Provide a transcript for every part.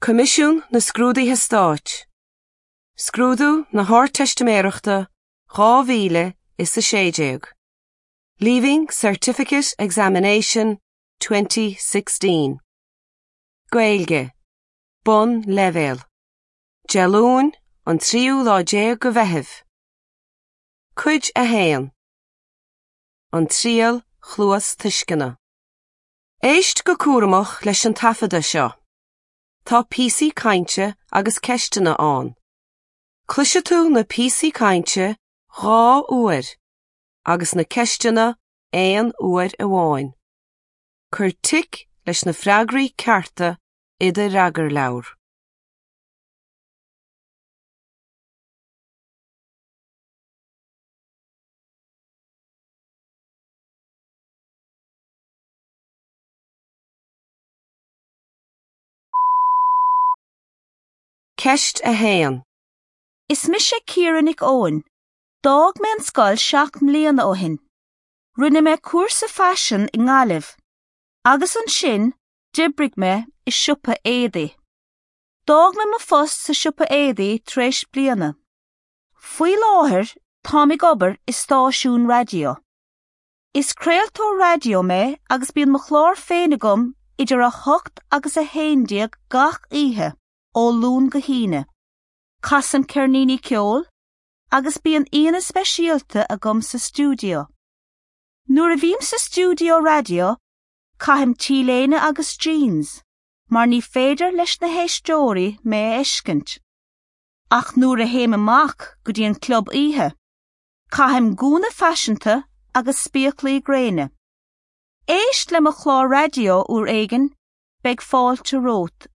Coimisiún na Scrúduithe Stáit, Scrúdú na hArdteistiméireachta 2016, Leaving Certificate Examination 2016. Gaeilge, Bonnleibhéal. Dé Luain, an tríú lá déag de Mheitheamh. Cuid 1. An Triail Chluastuisceana. Éist go cúramach leis an taifeadadh seo. Tá píosaí cainte agus ceisteanna ann. Cloisfidh tú na píosaí cainte dhá uair agus na ceisteanna aon uair amháin. Cuir tic leis na freagraí cearta i do fhreagarleabhar. Ceist 1. Is mise Ciara Nic Eoin. D'fhág mé an scoil seacht mbliana ó shin. Rinne mé cúrsa faisin i nGaillimh. Agus ansin, d'oibrigh mé i siopa éadaí. D'fhág mé mo phost sa siopa éadaí tar éis bliana. Faoi láthair, táim ag obair i stáisiún raidió. Is craoltóir raidió mé agus bíonn mo chlár féin agam idir 8 agus 11 gach oíche, ó Luan go hAoine. Casaim ceirníní ceoil agus bíonn aíonna speisialta agam sa stiúideo. Nuair a bhím sa stiúideo raidió, caithim t-léine agus jeans, mar ní féidir leis na héisteoirí mé a fheiscint. Ach nuair a théim amach go dtí an club oíche, Caithim gúna faiseanta agus spéaclaí gréine. Éist le mo chlár raidió uair éigin, beidh fáilte romhat.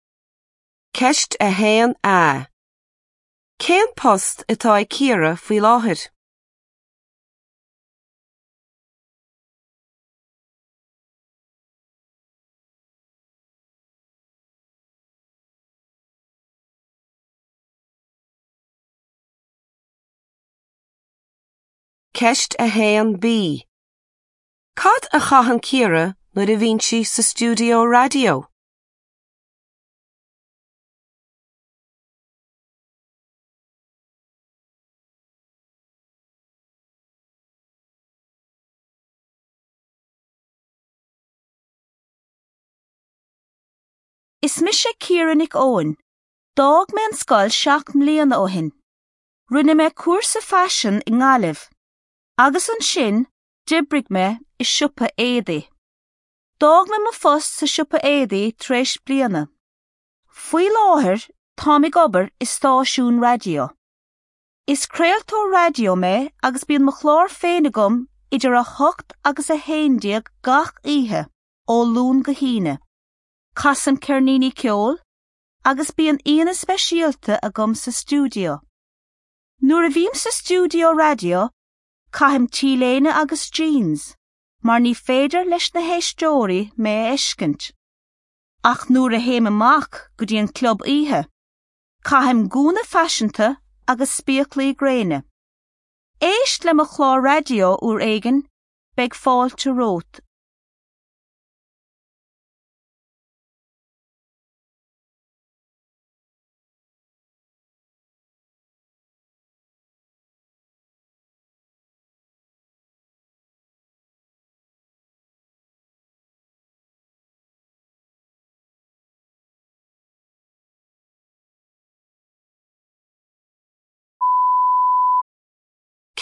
Ceist 1A. Cén post atá ag Ciara faoi láthair? Ceist 1B. Cad a chaitheann Ciara nuair a bhíonn sí sa stiúideo raidió? Is mise Ciara Nic Eoin. D'fhág mé an scoil seacht mbliana ó shin. Rinne mé cúrsa faisin i nGaillimh. Agus ansin, d'oibrigh mé i siopa éadaí. D'fhág mé mo phost sa siopa éadaí tar éis bliana. Faoi láthair, táim ag obair i stáisiún raidió. Is craoltóir raidió mé agus bíonn mo chlár féin agam idir 8 agus 11 gach oíche, ó Luan go hAoine. Casaim ceirníní ceoil agus bíonn aíonna speisialta agam sa stiúideo. Nuair a bhím sa stiúideo raidió, caithim t-léine agus jeans, mar ní féidir leis na héisteoirí mé a fheiscint. Ach nuair a théim amach go dtí an club oíche, caithim gúna faiseanta agus spéaclaí gréine. Éist le mo chlár raidió uair éigin, beidh fáilte romhat.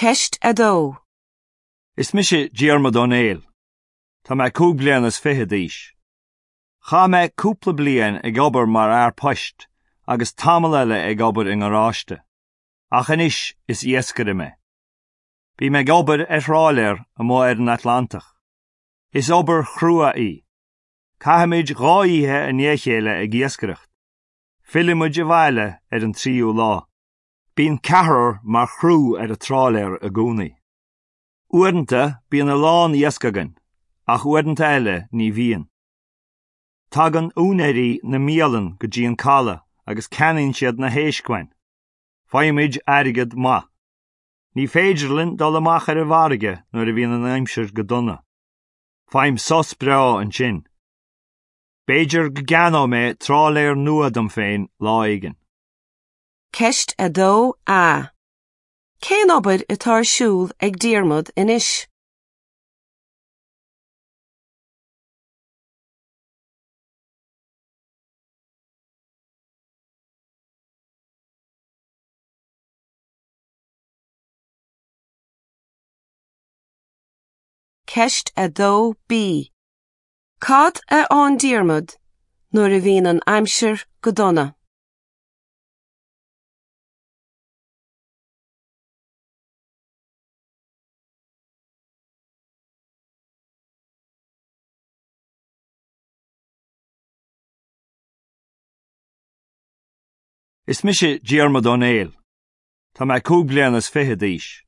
Ceist 2. Is mise Diarmuid Ó Néill. Tá mé cúig bliana is fiche d'aois. Chaith mé cúpla bliain ag obair mar fhear poist agus tamall eile ag obair i ngaráiste. Ach anois is iascaire mé. Bím ag obair ar thráiléar amuigh ar an Atlantach. Is obair chrua í. Caithimid dhá oíche i ndiaidh a chéile ag iascaireacht. Fillimid abhaile ar an tríú lá. Bíonn ceathrar mar chriú ar an tráiléar i gcónaí. Uaireanta bíonn a lán iasc againn, ach uaireanta eile ní bhíonn. Tagann úinéirí na mbialann go dtí an caladh agus ceannaíonn siad na héisc uainn. Faighimid airgead maith. Ní féidir linn dul amach ar an bhfarraige nuair a bhíonn an aimsir go dona. Faighim sos breá ansin. B'fhéidir go gceannóidh mé trálaer nua dom féin lá éigin. Ceist 2A. Cén obair atá ar siúl ag Diarmuid anois? Ceist 2B. Cad a fhaigheann Diarmuid nuair a bhíonn an aimsir go dona? Is mise Diarmuid Ó Néill. Tá mé 25 bliana d'aois.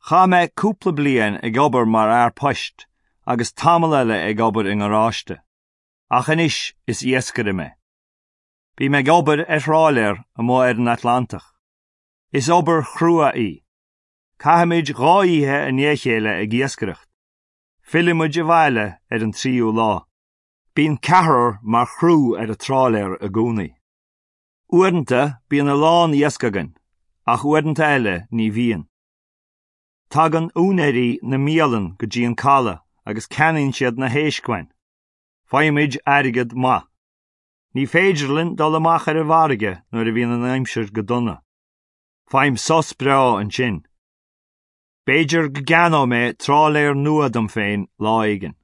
Chaith mé cúpla bliain ag obair mar fhear poist agus tamall eile ag obair i ngaráiste. Ach anois is iascaire mé. Bím ag obair ar thrálaer amuigh ar an Atlantach. Is obair chrua í. Caithimid dhá oíche i ndiaidh a chéile ag iascaireacht. Fillimid abhaile ar an tríú lá. Bíonn ceathrar mar chriú ar an trálaer i gcónaí. Uaireanta bíonn a lán iasc againn, ach uaireanta eile ní bhíonn. Tagann úinéirí na mbialann go dtí an caladh agus ceannaíonn siad na héisc uainn. Faighimid airgead maith. Ní féidir linn dul amach ar an bhfarraige nuair a bhíonn an aimsir go dona. Faighim sos breá ansin. B'fhéidir go gceannóidh mé trálaer nua dom féin lá éigin.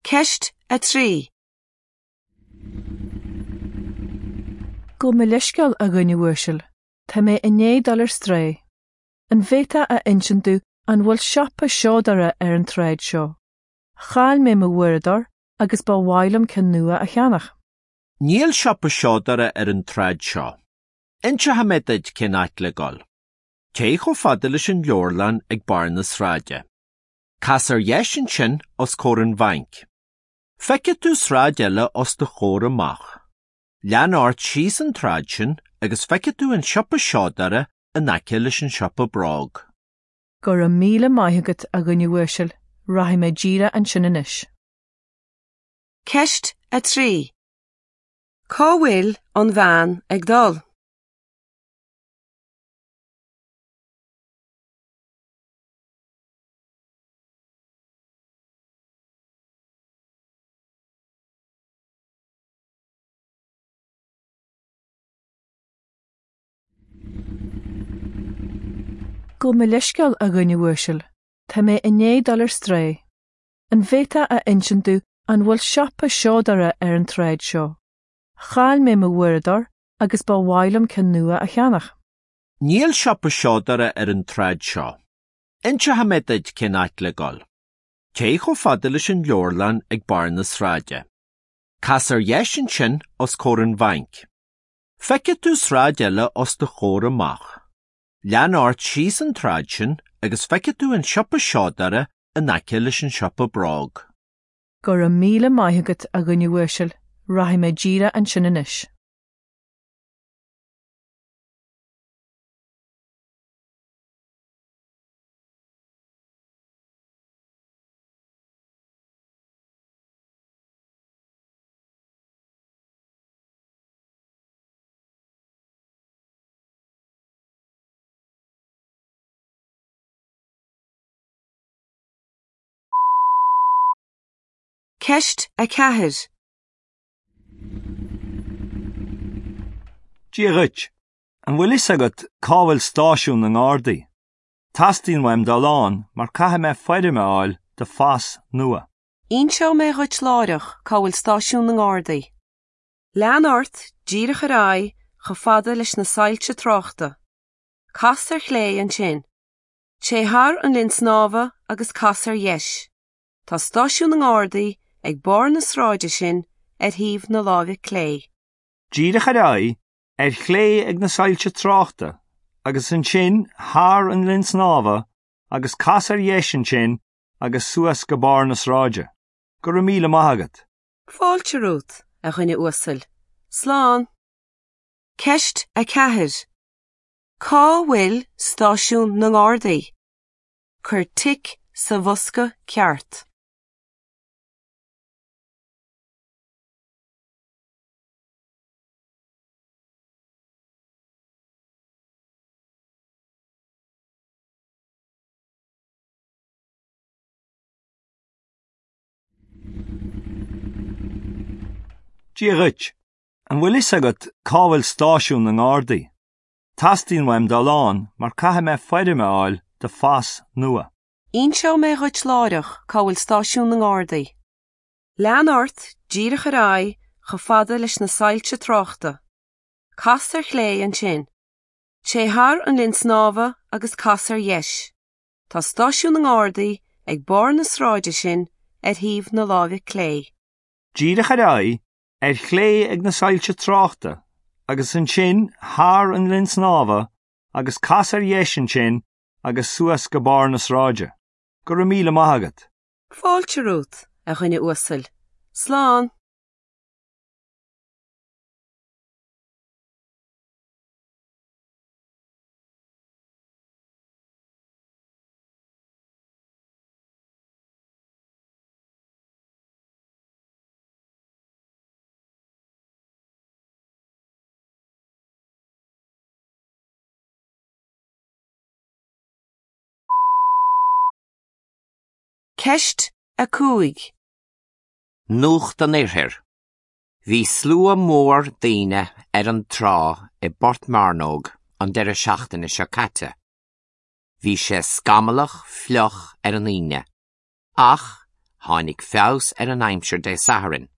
Ceist 3. Gabh mo leithscéal, a dhuine uasail, tá mé i ndiaidh dul ar strae. An bhféadfá a insint domh an bhfuil siopa seodóra ar an tsráid seo? Chaill mé mo uaireadóir agus ba mhaith liom ceann nua a cheannach. Níl siopa seodóra ar an tsráid seo. Inseoidh mé duit cén áit le dul. Téigh chomh fada leis an leabharlann ag barr na sráide. Cas ar dheis ansin os comhair an bhainc. Feicfidh tú sráid eile os do chomhair amach. Lean ort síos an tsráid sin agus feicfidh tú an siopa seodóra in aice leis an siopa bróg. Go raibh míle maith agat, a dhuine uasail, rachaidh mé díreach ansin anois. Ceist 3. Cá bhfuil an bhean ag dul? Gabh mo leithscéal, a dhuine uasail, tá mé i ndiaidh dul ar strae. An bhféadfá a insint domh an bhfuil siopa seodóra ar an tsráid seo? Chaill mé mo uaireadóir agus ba mhaith liom ceann nua a cheannach. Níl siopa seodóra ar an tsráid seo. Inseoidh mé duit cén áit le dul. Téigh chomh fada leis an leabharlann ag barr na sráide. Cas ar dheis ansin os comhair an bhainc. Feicfidh tú sráid eile os do chomhair amach. Lean ort síos an tsráid sin agus feicfidh tú an siopa seodóra in aice leis an siopa bróg. Go raibh míle maith agat, a dhuine uasail, rachaidh mé díreach ansin anois. Ceist 4. Dia dhuit. An bhfuil fhios agat cá bhfuil stáisiún na nGardaí? Teastaíonn uaim dul ann mar caithfidh mé foirm a fháil do phas nua. Inseoidh mé dhuit láithreach cá bhfuil stáisiún na nGardaí. Lean ort díreach ar aghaidh chomh fada leis na soilse tráchta. Cas ar chlé ansin. Téigh thar an linn snámha agus cas ar dheis. Tá stáisiún na nGardaí ag barr na sráide sin ar thaobh na láimhe clé. Díreach ar aghaidh, Ar chlé ag na soilse tráchta, agus ansin thar an linn snámha agus cas ar dheis ansin agus suas go barr na sráide. Go raibh míle maith agat. Fáilte romhat, a dhuine uasail. Slán. Ceist 4. Cá bhfuil stáisiún na nGardaí? Cuir tic sa bhosca ceart. Dia dhuit. An bhfuil fhios agat cá bhfuil stáisiún na nGardaí? Teastaíonn uaim dul ann mar caithfidh mé foirm a fháil do phas nua. Inseoidh mé dhuit láithreach cá bhfuil stáisiún na nGardaí. Lean ort díreach ar aghaidh chomh fada leis na soilse tráchta. Cas ar chlé ansin. Téigh thar an linn snámha agus cas ar dheis. Tá stáisiún na nGardaí ag barr na sráide sin ar thaobh na láimhe clé. Díreach ar aghaidh, ar chlé ag na soilse tráchta, agus ansin thar an linn snámha agus cas ar dheis ansin agus suas go barr na sráide. Go raibh míle maith agat. Fáilte romhat, a dhuine uasail. Slán. Ceist 5. Nuacht an Oirthir. Bhí slua mór daoine ar an trá i bPort Mearnóg an deireadh seachtaine seo caite. Bhí sé scamallach fliuch ar an Aoine, ach tháinig feabhas ar an aimsir Dé Sathairn.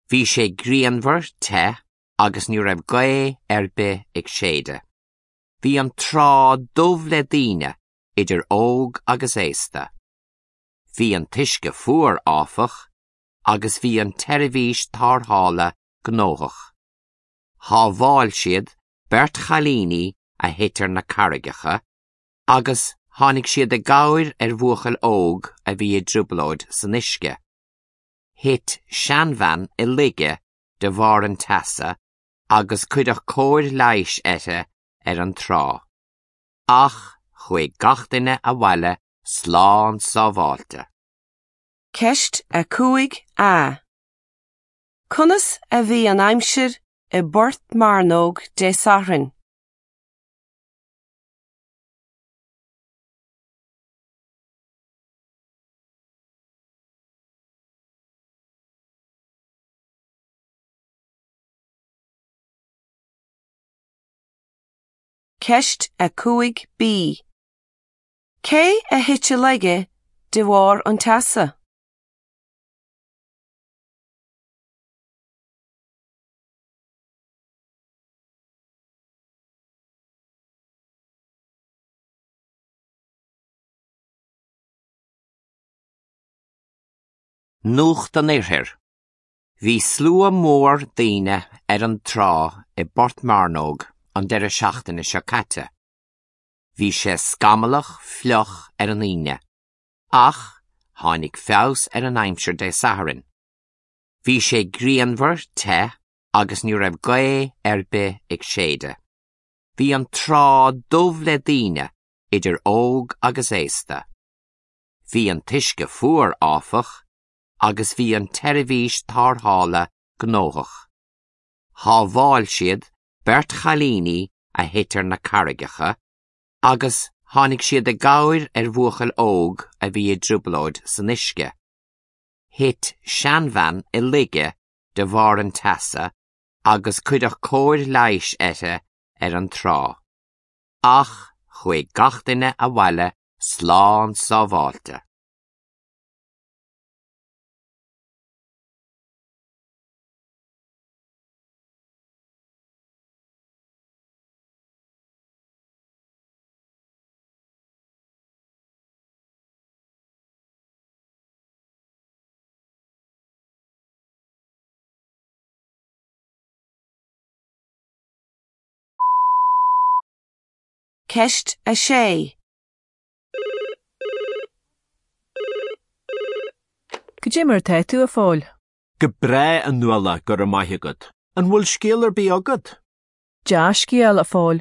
Bhí sé grianmhar te agus ní raibh gaoth ar bith ag séideadh. Bhí an trá dubh le daoine, idir óg agus aosta. Bhí an t-uisce fuar, áfach, agus bhí an tseirbhís tarrthála gnóthach. Shábháil siad beirt chailíní a thit ar na carraigeacha agus tháinig siad i gcabhair ar bhuachaill óg a bhí i dtrioblóid san uisce. Thit seanbhean i laige de bharr an teasa agus cuireadh cóir leighis uirthi ar an trá. Ach chuaigh gach duine abhaile slán sábháilte. Ceist 5A. Conas a bhí an aimsir i bPort Mearnóg Dé Sathairn? Ceist 5B. Cé a thit i laige de bharr an teasa? Nuacht an Oirthir. Bhí slua mór daoine ar an trá i bPort Mearnóg an deireadh seachtaine seo caite. Bhí sé scamallach fliuch ar an Aoine, ach tháinig feabhas ar an aimsir Dé Sathairn. Bhí sé grianmhar te agus ní raibh gaoth ar bith ag séideadh. Bhí an trá dubh le daoine, idir óg agus aosta. Bhí an t-uisce fuar, áfach, agus bhí an tseirbhís tarrthála gnóthach. Shábháil siad beirt chailíní a thit ar na carraigeacha agus tháinig siad i gcabhair ar bhuachaill óg a bhí i dtrioblóid san uisce. Thit seanbhean i laige de bharr an teasa agus cuireadh cóir leighis uirthi ar an trá. Ach chuaigh gach duine abhaile slán sábháilte. Ceist 6. Cad é mar atá tú, a Phóil? Go breá, a Nuala, go raibh maith agat. An bhfuil scéal ar bith agat? Dea-scéal, a Phóil.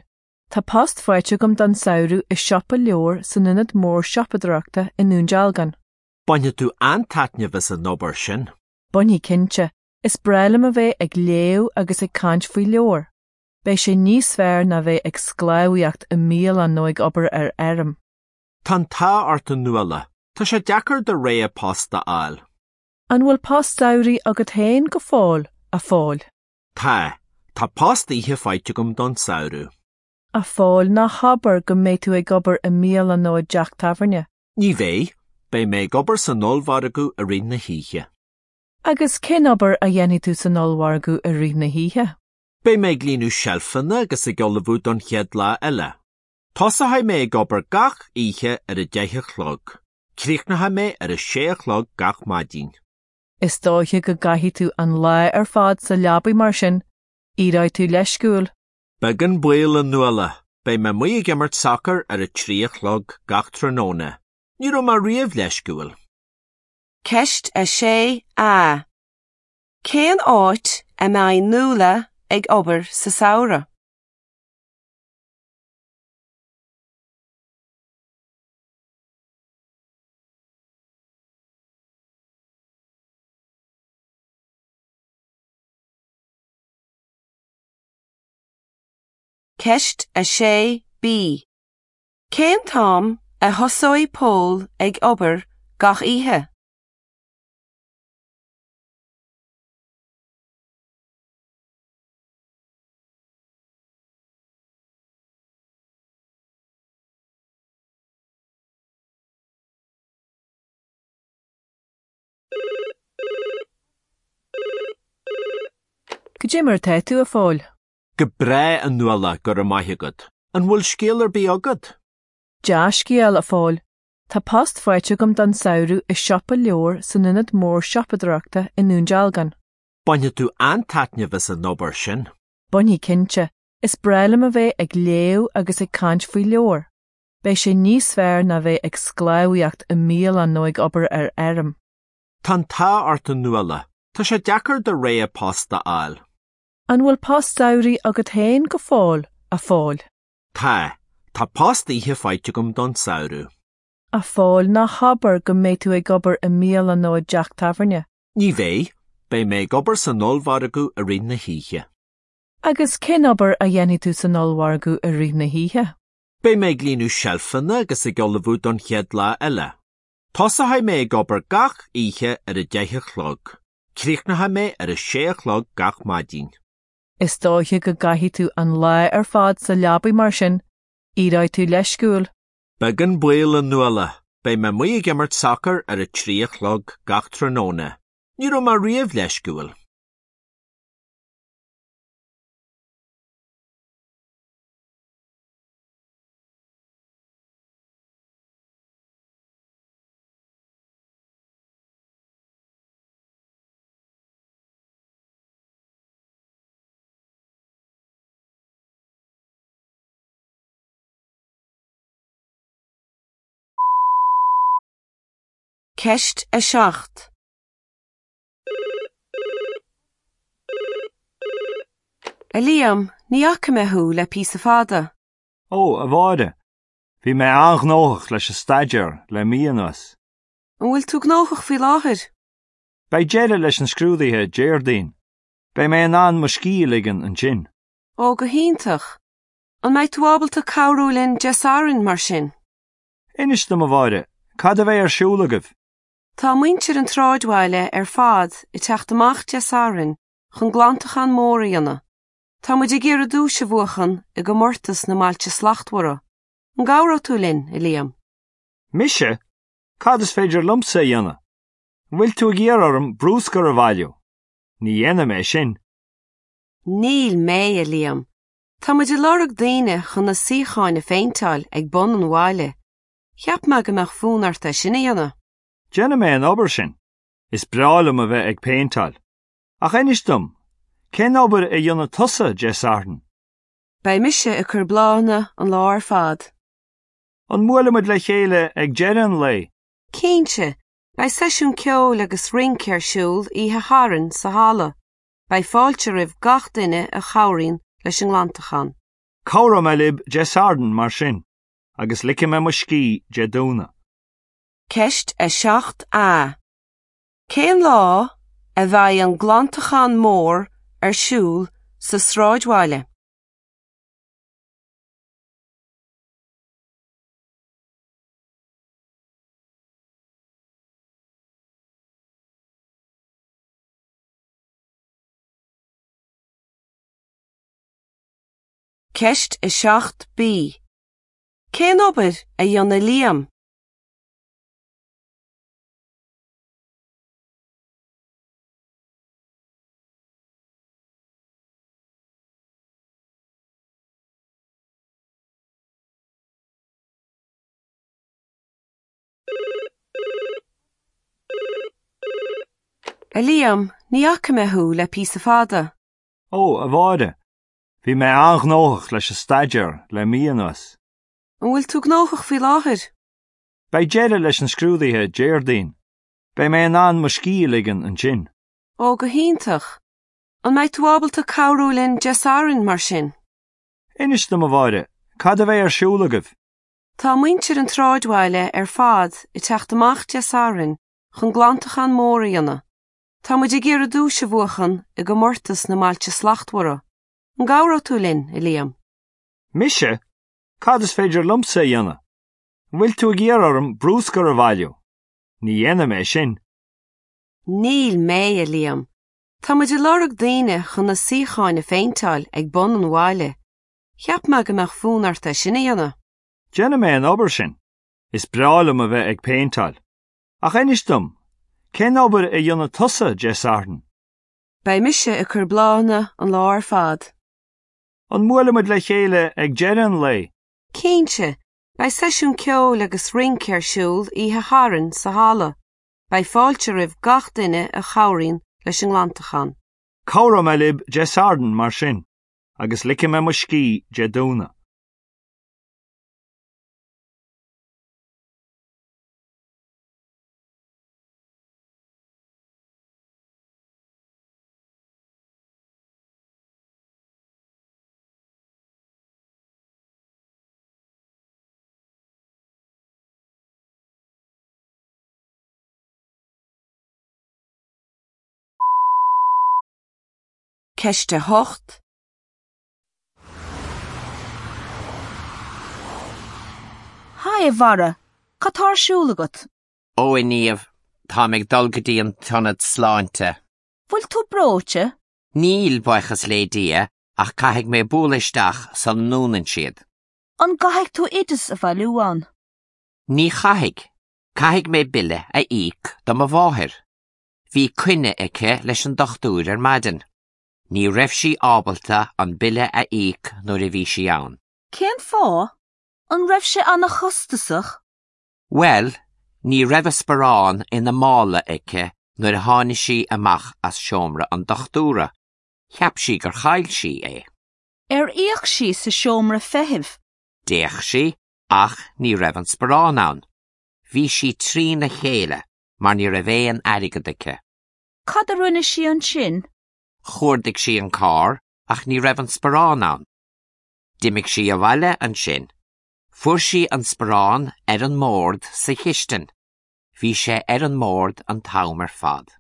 Tá post faighte agam don samhradh i siopa leabhar san ionad mór siopadóireachta i nDún Dealgan. Bainfidh tú an-taitneamh as an obair sin. Bainfidh cinnte. Is breá liom a bheith ag léamh agus ag caint faoi leabhair. Beidh sé níos fearr ná bheith ag sclábhaíocht i mbialann nó ag obair ar fheirm. Tá an t-ádh ort a Nuala. Tá sé deacair do rogha post a fháil. An bhfuil post samhraidh agat féin go fóill, a Phóil? Tá. Tá post oíche faighte agam don samhradh. A Phóil, ná habair go mbeidh tú ag obair i mbialann nó i dteach tábhairne. Ní bheidh. Beidh mé ag obair san ollmhargadh i rith na hoíche. Agus cén obair a dhéanfaidh tú san ollmhargadh i rith na hoíche? Beidh mé ag líonadh seilfeanna agus ag ullmhú don chéad lá eile. Tosóidh mé ag obair gach oíche ar a deich a chlog. Críochnóidh mé ar a sé a chlog gach maidin. Is dóiche go gcaithfidh tú an lá ar fad sa leabaidh mar sin. Éireoidh tú leisciúil. Beag an baol, a Nuala. Beidh mé amuigh ag imirt sacair ar a trí a chlog gach tráthnóna. Ní raibh mé riamh leisciúil. Ceist 6A. Cén áit a mbeidh Nuala ag obair sa samhradh? Ceist 6B. Cén t-am a thosóidh Pól ag obair gach oíche? Cad é mar atá tú, a Phóil? Go breá, a Nuala, go raibh maith agat. An bhfuil scéal ar bith agat? Dea-scéal, a Phóil. Tá post faighte agam don samhradh i siopa leabhar san ionad mór siopadóireachta i nDún Dealgan. Bainfidh tú an-taitneamh as an obair sin. Bainfidh cinnte. Is breá liom a bheith ag léamh agus ag caint faoi leabhair. Beidh sé níos fearr ná bheith ag sclábhaíocht i mbialann nó ag obair ar fheirm. Tá an t-ádh ort a Nuala. Tá sé deacair do rogha post a fháil. An bhfuil post samhraidh agat féin go fóill, a Phóil? Tá. Tá post oíche faighte agam don samhradh. A Phóil, ná habair go mbeidh tú ag obair i mbialann nó i dteach tábhairne. Ní bheidh. Beidh mé ag obair san ollmhargadh i rith na hoíche. Agus cén obair a dhéanfaidh tú san ollmhargadh i rith na hoíche? Beidh mé ag líonadh seilfeanna agus ag ullmhú don chéad lá eile. Tosóidh mé ag obair gach oíche ar a deich a chlog. Críochnóidh mé ar a sé a chlog gach maidin. Is dóiche go gcaithfidh tú an lá ar fad sa leabaidh mar sin. Éireoidh tú leisciúil. Beag an baol, a Nuala. Beidh mé amuigh ag imirt sacair ar a trí a chlog gach tráthnóna. Ní raibh mé riamh leisciúil. Ceist 7. A Liam, ní fhaca mé thú le píosa fada. Ó, a Mháire, bhí mé an-ghnóthach leis an staidéar le mí anuas. An bhfuil tú gnóthach faoi láthair? Beidh deireadh leis na scrúduithe Déardaoin. Beidh mé in ann mo scíth a ligean ansin. Ó, go hiontach. An mbeidh tú ábalta cabhrú linn Dé Sathairn, mar sin? Inis dom, a Mháire, cad a bheidh ar siúl agaibh? Tá muintir an tsráidbhaile ar fad ag teacht amach Dé Sathairn chun glantachán mór a dhéanamh. Tá muid ag iarraidh duais a bhuachan i gcomórtas na mBailte Slachtmhara. An gcabhróidh tú linn, a Liam? Mise? Cad is féidir liomsa a dhéanamh? An bhfuil tú ag iarraidh orm bruscar a bhailiú? Ní dhéanfaidh mé sin. Níl mé, a Liam. Tá muid ag lorg daoine chun na suíocháin a phéinteáil ag bun an bhaile. Cheap mé go mbeadh fonn ort é sin a dhéanamh. Déanfaidh mé an obair sin. Is breá liom a bheith ag péinteáil. Ach inis dom, cén obair a dhéanfaidh tusa Dé Sathairn? Beidh mise ag cur bláthanna an lá ar fad. An mbuailfimid le chéile ag deireadh an lae? Cinnte, beidh seisiún ceoil agus rince ar siúl oíche Shathairn sa halla. Beidh fáilte roimh gach duine a chabhraíonn leis an nglantachán. Cabhróidh mé libh Dé Sathairn mar sin, agus ligfidh mé mo scíth Dé Domhnaigh. Ceist 7A. Cén lá a bheidh an glantachán mór ar siúl sa sráidbhaile? Ceist 7B. Cén obair a dhéanann Liam? A Liam, ní fhaca mé thú le píosa fada. Ó, a Mháire, bhí mé an-ghnóthach leis an staidéar le mí anuas. An bhfuil tú gnóthach faoi láthair? Beidh deireadh leis na scrúduithe Déardaoin. Beidh mé in ann mo scíth a ligean ansin. Ó, go hiontach. An mbeidh tú ábalta cabhrú linn Dé Sathairn mar sin? Inis dom, a Mháire, cad a bheidh ar siúl agaibh? Tá muintir an tsráidbhaile ar fad ag teacht amach Dé Sathairn chun glantachán mór a dhéanamh. Tá muid ag iarraidh duais a bhuachan i gcomórtas na mBailte Slachtmhara. An gcabhróidh tú linn, a Liam? Mise? Cad is féidir liomsa a dhéanamh? An bhfuil tú ag iarraidh orm bruscar a bhailiú? Ní dhéanfaidh mé sin. Níl mé, a Liam. Tá muid ag lorg daoine chun na suíocháin a phéinteáil ag bun an bhaile. Cheap mé go mbeadh fonn ort é sin a dhéanamh. Déanfaidh mé an obair sin. Is breá liom a bheith ag péinteáil. Ach inis dom, cén obair a dhéanfaidh tusa Dé Sathairn? Beidh mise ag cur bláthanna an lá ar fad. An mbuailfimid le chéile ag deireadh an lae? Cinnte, beidh seisiún ceoil agus rince ar siúl oíche Shathairn sa halla. Beidh fáilte roimh gach duine a chabhraíonn leis an nglantachán. Cabhróidh mé libh Dé Sathairn mar sin, agus ligfidh mé mo scíth Dé Domhnaigh. Ceist 8. Haigh, a Bharra, cad tá ar siúl agat? Ó, a Niamh, táim ag dul go dtí an t-ionad sláinte. Bhfuil tú breoite? Níl, buíochas le Dia, ach caithfidh mé bualadh isteach sula ndúnann siad. An gcaithfidh tú oideas a bhailiú ann? Ní chaithfidh. Caithfidh mé bille a íoc do mo mháthair. Bhí coinne aici leis an dochtúir ar maidin. Ní raibh sí ábalta an bille a íoc nuair a bhí sí ann. Cén fáth? An raibh sé an-chostasach? Bhuel, ní raibh a sparán ina mála aici nuair a tháinig sí amach as seomra an dochtúra. Cheap sí gur chaill sí é. Ar fhéach sí sa seomra feithimh? D'fhéach sí ach ní raibh an sparán ann. Bhí sí trína chéile mar ní raibh aon airgead aici. Cad a rinne sí ansin? Chuardaigh sí an carr ach ní raibh an sparán ann. D'imigh sí abhaile ansin. Fuair sí an sparán ar an mbord sa chistin. Bhí sé ar an mbord an t-am ar fad.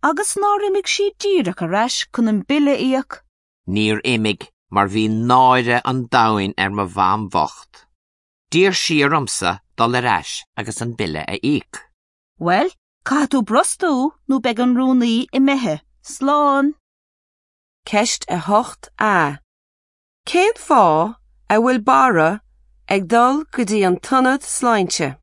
Agus nár imigh sí díreach ar ais chun an bille a íoc? Níor imigh mar bhí náire an domhain ar mo mham bhocht. D'iarr sí ormsa dul ar ais agus an bille a íoc. Bhuel, caithfidh tú brostú nó beidh an rúnaí imithe. Slán! Ceist 8A. Cén fáth a bhfuil Barra ag dul go dtí an t-ionad sláinte?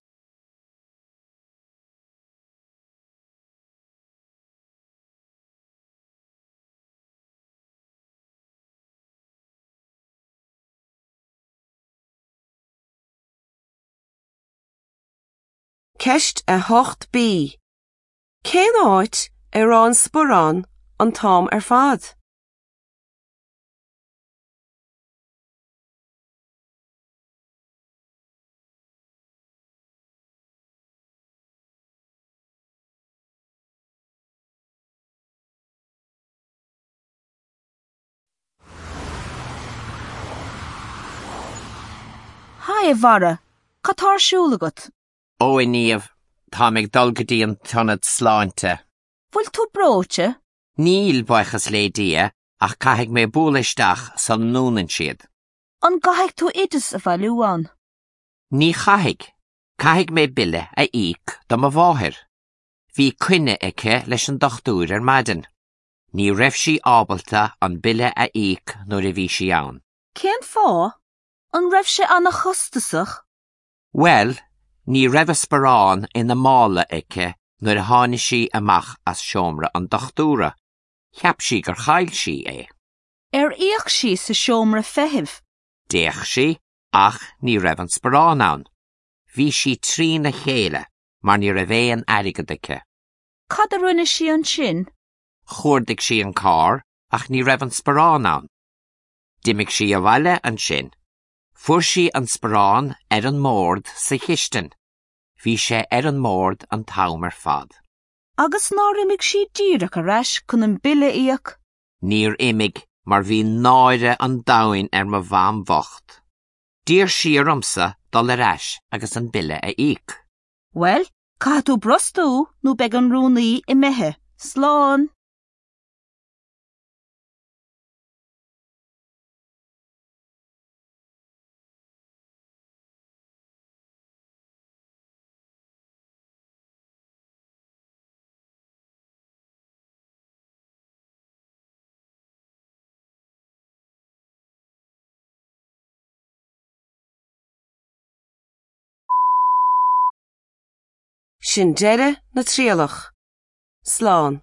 Ceist 8B. Cén áit a raibh an sparán an t-am ar fad? Haigh a Bharra, cad tá ar siúl agat? Ó a Niamh, táim ag dul go dtí an t-ionad sláinte. Bhfuil tú breoite? Níl, buíochas le Dia, ach caithfidh mé bualadh isteach sula ndúnann siad. An gcaithfidh tú oideas a bhailiú ann? Ní chaithfidh. Caithfidh mé bille a íoc do mo mháthair. Bhí coinne aici leis an dochtúir ar maidin. Ní raibh sí ábalta an bille a íoc nuair a bhí sí ann. Cén fáth? An raibh sé an-chostasach? Bhuel, ní raibh a sparán ina mála aici nuair a tháinig sí amach as seomra an dochtúra. Cheap sí gur chaill sí é. Ar fhéach sí sa seomra feithimh? D'fhéach sí, ach ní raibh an sparán ann. Bhí sí trína chéile, mar ní raibh aon airgead aici. Cad a rinne sí ansin? Chuardaigh sí an carr, ach ní raibh an sparán ann. D'imigh sí abhaile ansin. Fuair sí an sparán ar an mbord sa chistin. Bhí sé ar an mbord an t-am ar fad. Agus nár imigh sí díreach ar ais chun an bille a íoc? Níor imigh mar bhí náire an domhain ar mo mham bhocht. D'iarr sí ormsa dul ar ais agus an bille a íoc. Bhuel, caithfidh tú brostú nó beidh an rúnaí imithe. Slán! Sin deireadh na trialach. Slán.